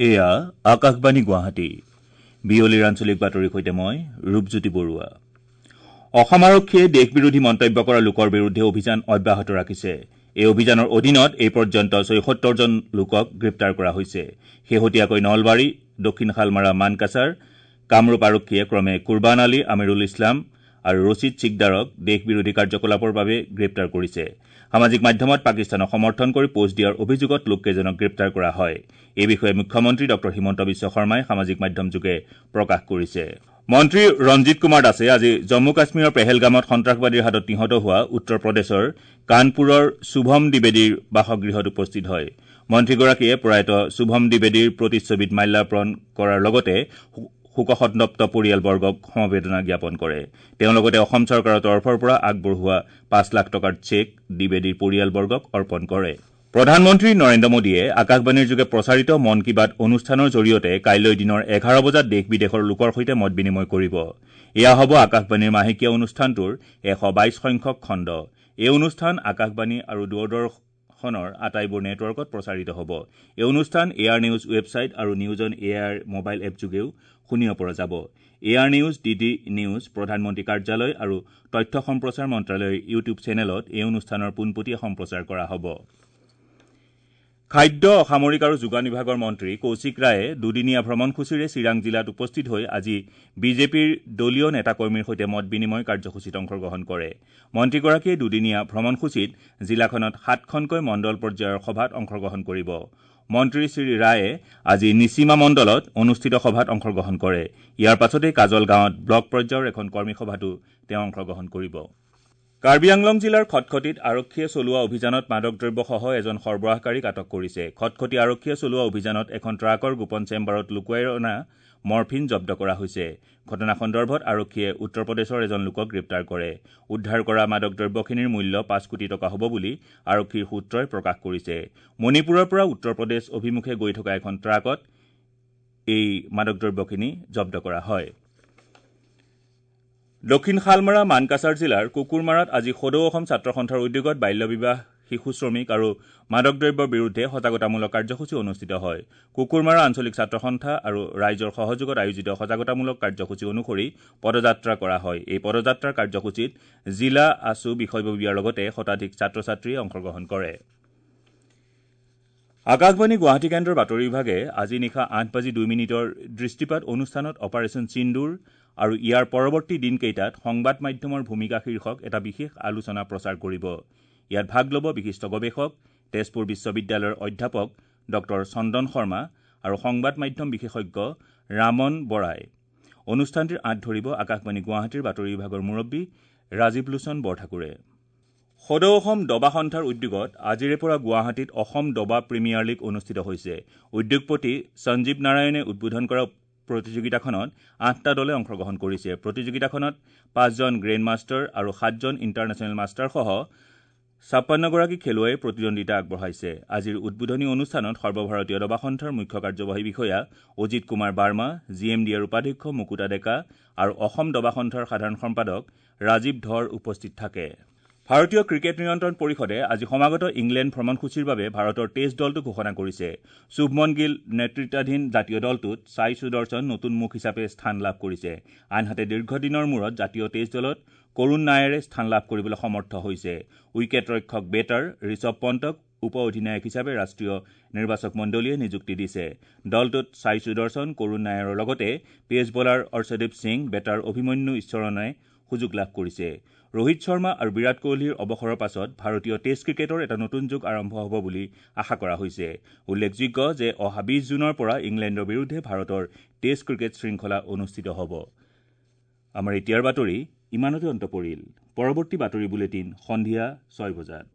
এয়া আকাশবাণী গুৱাহাটী। বিয়লিৰ আঞ্চলিক বাতৰিৰ সৈতে মই ৰূপজ্যোতি বৰুৱা। অসম আৰক্ষীয়ে দেশ বিৰোধী মন্তব্য কৰা লোকৰ বিৰুদ্ধে অভিযান অব্যাহত ৰাখিছে। এই অভিযানৰ অধীনত এই পৰ্যন্ত ৭৬জন লোকক গ্ৰেপ্তাৰ কৰা হৈছে। শেহতীয়াকৈ নলবাৰী, দক্ষিণ শালমাৰা, মানকাছাৰ, কামৰূপ আৰক্ষীয়ে ক্ৰমে কুৰবান আলী, আমিৰুল ইছলাম আৰু ৰছিদ চিকদাৰক দেশ বিৰোধী কাৰ্যকলাপৰ বাবে গ্ৰেপ্তাৰ কৰিছে। সামাজিক মাধ্যমত পাকিস্তানক সমৰ্থন কৰি পোষ্ট দিয়াৰ অভিযোগত লোককেইজনক গ্ৰেপ্তাৰ কৰা হয়। এই বিষয়ে মুখ্যমন্ত্ৰী ড হিমন্ত বিশ্ব শৰ্মাই সামাজিক মাধ্যমযোগে প্ৰকাশ কৰিছে। মন্ত্ৰী ৰঞ্জিত কুমাৰ দাসে আজি জম্মু কাশ্মীৰৰ পেহেলগামত সন্ত্ৰাসবাদীৰ হাতত নিহত হোৱা উত্তৰ প্ৰদেশৰ কানপুৰৰ শুভম দ্বিবেদীৰ বাসগৃহত উপস্থিত হয়। মন্ত্ৰীগৰাকীয়ে প্ৰয়াত শুভম দ্বিবেদীৰ প্ৰতিচ্ছবিত মাল্যাৰ্পণ কৰাৰ লগতে শোকসন্তপ্ত পৰিয়ালবৰ্গক সমবেদনা জ্ঞাপন কৰে। তেওঁ লগতে অসম চৰকাৰৰ তৰফৰ পৰা আগবঢ়োৱা ৫ লাখ টকাৰ চেক দ্বিবেদীৰ পৰিয়ালবৰ্গক অৰ্পণ কৰে। প্ৰধানমন্ত্ৰী নৰেন্দ্ৰ মোদীয়ে আকাশবাণীৰ যোগে প্ৰচাৰিত মন কী বাত অনুষ্ঠানৰ জৰিয়তে কাইলৈ দিনৰ ১১ বজাত দেশ বিদেশৰ লোকৰ সৈতে মত বিনিময় কৰিব। এয়া হ'ব আকাশবাণীৰ মাহেকীয়া অনুষ্ঠানটোৰ ১২২ সংখ্যক খণ্ড। এই অনুষ্ঠান আকাশবাণী আৰু দূৰদৰ্শনৰ আটাইবোৰ নেটৱৰ্কত প্ৰচাৰিত হ'ব। এই অনুষ্ঠান এ আৰ নিউজ ৱেবছাইট আৰু news on A I R mobile app যোগেও শুনিব পৰা যাব। A R news, D D news, প্ৰধানমন্ত্ৰী কাৰ্যালয় আৰু তথ্য সম্প্ৰচাৰ মন্ত্ৰালয়ৰ ইউটিউব চেনেলত এই অনুষ্ঠানৰ পোনপটীয়া সম্প্ৰচাৰ কৰা হ'ব। খাদ্য, অসামৰিক আৰু যোগান বিভাগৰ মন্ত্ৰী কৌশিক ৰায়ে দুদিনীয়া ভ্ৰমণসূচীৰে চিৰাং জিলাত উপস্থিত হৈ আজি বিজেপিৰ দলীয় নেতাকৰ্মীৰ সৈতে মত বিনিময় কাৰ্যসূচীত অংশগ্ৰহণ কৰে। মন্ত্ৰীগৰাকীয়ে দুদিনীয়া ভ্ৰমণসূচীত জিলাখনত ৭খনকৈ মণ্ডল পৰ্যায়ৰ সভাত অংশগ্ৰহণ কৰিব। মন্ত্ৰী শ্ৰী ৰায়ে আজি নিচিমা মণ্ডলত অনুষ্ঠিত সভাত অংশগ্ৰহণ কৰে। ইয়াৰ পাছতেই কাজলগাঁৱত ব্লক পৰ্যায়ৰ এখন কৰ্মী সভাতো তেওঁ অংশগ্ৰহণ কৰিব। কাৰ্বি আংলং জিলাৰ খটখটীত আৰক্ষীয়ে চলোৱা অভিযানত মাদক দ্ৰব্যসহ এজন সৰবৰাহকাৰীক আটক কৰিছে। খটখটী আৰক্ষীয়ে চলোৱা অভিযানত এখন ট্ৰাকৰ গোপন চেম্বাৰত লুকুৱাই অনা মৰ্ফিন জব্দ কৰা হৈছে। ঘটনা সন্দৰ্ভত আৰক্ষীয়ে উত্তৰ প্ৰদেশৰ এজন লোকক গ্ৰেপ্তাৰ কৰে। উদ্ধাৰ কৰা মাদক দ্ৰব্যখিনিৰ মূল্য ৫ কোটি টকা হ'ব বুলি আৰক্ষীৰ সূত্ৰই প্ৰকাশ কৰিছে। মণিপুৰৰ পৰা উত্তৰ প্ৰদেশ অভিমুখে গৈ থকা এখন ট্ৰাকত এই মাদক দ্ৰব্যখিনি জব্দ কৰা হয়। দক্ষিণ শালমাৰা মানকাছাৰ জিলাৰ কুকুৰমাৰাত আজি সদৌ অসম ছাত্ৰ সন্থাৰ উদ্যোগত বাল্য বিবাহ, শিশু শ্ৰমিক আৰু মাদক দ্ৰব্যৰ বিৰুদ্ধে সজাগতামূলক কাৰ্যসূচী অনুষ্ঠিত হয়। কুকুৰমাৰা আঞ্চলিক ছাত্ৰ সন্থা আৰু ৰাইজৰ সহযোগত আয়োজিত সজাগতামূলক কাৰ্যসূচী অনুসৰি পদযাত্ৰা কৰা হয়। এই পদযাত্ৰাৰ কাৰ্যসূচীত জিলা আছু বিষয়ববীয়াৰ লগতে শতাধিক ছাত্ৰ ছাত্ৰীয়ে অংশগ্ৰহণ কৰে। আকাশবাণী গুৱাহাটী কেন্দ্ৰৰ বাতৰি বিভাগে আজি নিশা ৮:০২ দৃষ্টিপাত অনুষ্ঠানত অপাৰেচন সিন্দুৰ আৰু ইয়াৰ পৰৱৰ্তী দিনকেইটাত সংবাদ মাধ্যমৰ ভূমিকা শীৰ্ষক এটা বিশেষ আলোচনা প্ৰচাৰ কৰিব। ইয়াত ভাগ ল'ব বিশিষ্ট গৱেষক, তেজপুৰ বিশ্ববিদ্যালয়ৰ অধ্যাপক ড চন্দন শৰ্মা আৰু সংবাদ মাধ্যম বিশেষজ্ঞ ৰামন বৰাই। অনুষ্ঠানটিৰ আঁত ধৰিব আকাশবাণী গুৱাহাটীৰ বাতৰি বিভাগৰ মুৰব্বী ৰাজীৱ লোচন বৰঠাকুৰে। সদৌ অসম দবা সন্থাৰ উদ্যোগত আজিৰে পৰা গুৱাহাটীত অসম দবা প্ৰিমিয়াৰ লীগ অনুষ্ঠিত হৈছে। উদ্যোগপতি সঞ্জীৱ নাৰায়ণে উদ্বোধন কৰা প্ৰতিযোগিতাখনত ৮টা দলে অংশগ্ৰহণ কৰিছে। প্ৰতিযোগিতাখনত ৫জন গ্ৰেণ্ড মাষ্টাৰ আৰু ৭জন ইণ্টাৰনেশ্যনেল মাষ্টাৰসহ ৫৬গৰাকী খেলুৱৈয়ে প্ৰতিদ্বন্দ্বিতা আগবঢ়াইছে। আজিৰ উদ্বোধনী অনুষ্ঠানত সৰ্বভাৰতীয় দবা সন্থাৰ মুখ্য কাৰ্যবাহী বিষয়া Ajit Kumar Verma, G M D এৰ উপাধ্যক্ষ মুকুতা ডেকা আৰু অসম দবা সন্থাৰ সাধাৰণ সম্পাদক ৰাজীৱ ধৰ উপস্থিত থাকে। ভাৰতীয় ক্ৰিকেট নিয়ন্ত্ৰণ পৰিষদে আজি সমাগত ইংলেণ্ড ভ্ৰমণসূচীৰ বাবে ভাৰতৰ টেষ্ট দলটো ঘোষণা কৰিছে। শুভমন গিল নেতৃত্বাধীন জাতীয় দলটোত ছাই সুদৰ্শন নতুন মুখ হিচাপে স্থান লাভ কৰিছে। আনহাতে দীৰ্ঘদিনৰ মূৰত জাতীয় টেষ্ট দলত কৰুণ নায়াৰে স্থান লাভ কৰিবলৈ সমৰ্থ হৈছে। উইকেট ৰক্ষক বেটাৰ ঋষভ পণ্টক উপ অধিনায়ক হিচাপে ৰাষ্ট্ৰীয় নিৰ্বাচক মণ্ডলীয়ে নিযুক্তি দিছে। দলটোত ছাই সুদৰ্শন, কৰুণ নায়াৰৰ লগতে pace bowler Arshdeep Singh, batter Abhimanyu ঈশ্বৰণে সুযোগ লাভ কৰিছে। ৰোহিত শৰ্মা আৰু বিৰাট কোহলীৰ অৱসৰৰ পাছত ভাৰতীয় টেষ্ট ক্ৰিকেটৰ এটা নতুন যুগ আৰম্ভ হ'ব বুলি আশা কৰা হৈছে। উল্লেখযোগ্য যে অহা ২০ জুনৰ পৰা ইংলেণ্ডৰ বিৰুদ্ধে ভাৰতৰ টেষ্ট ক্ৰিকেট শৃংখলা অনুষ্ঠিত হ'ব। আমাৰ এতিয়াৰ বাতৰি ইমানতে অন্ত পৰিল। পৰৱৰ্তী বাতৰি বুলেটিন সন্ধিয়া ৬ বজাত।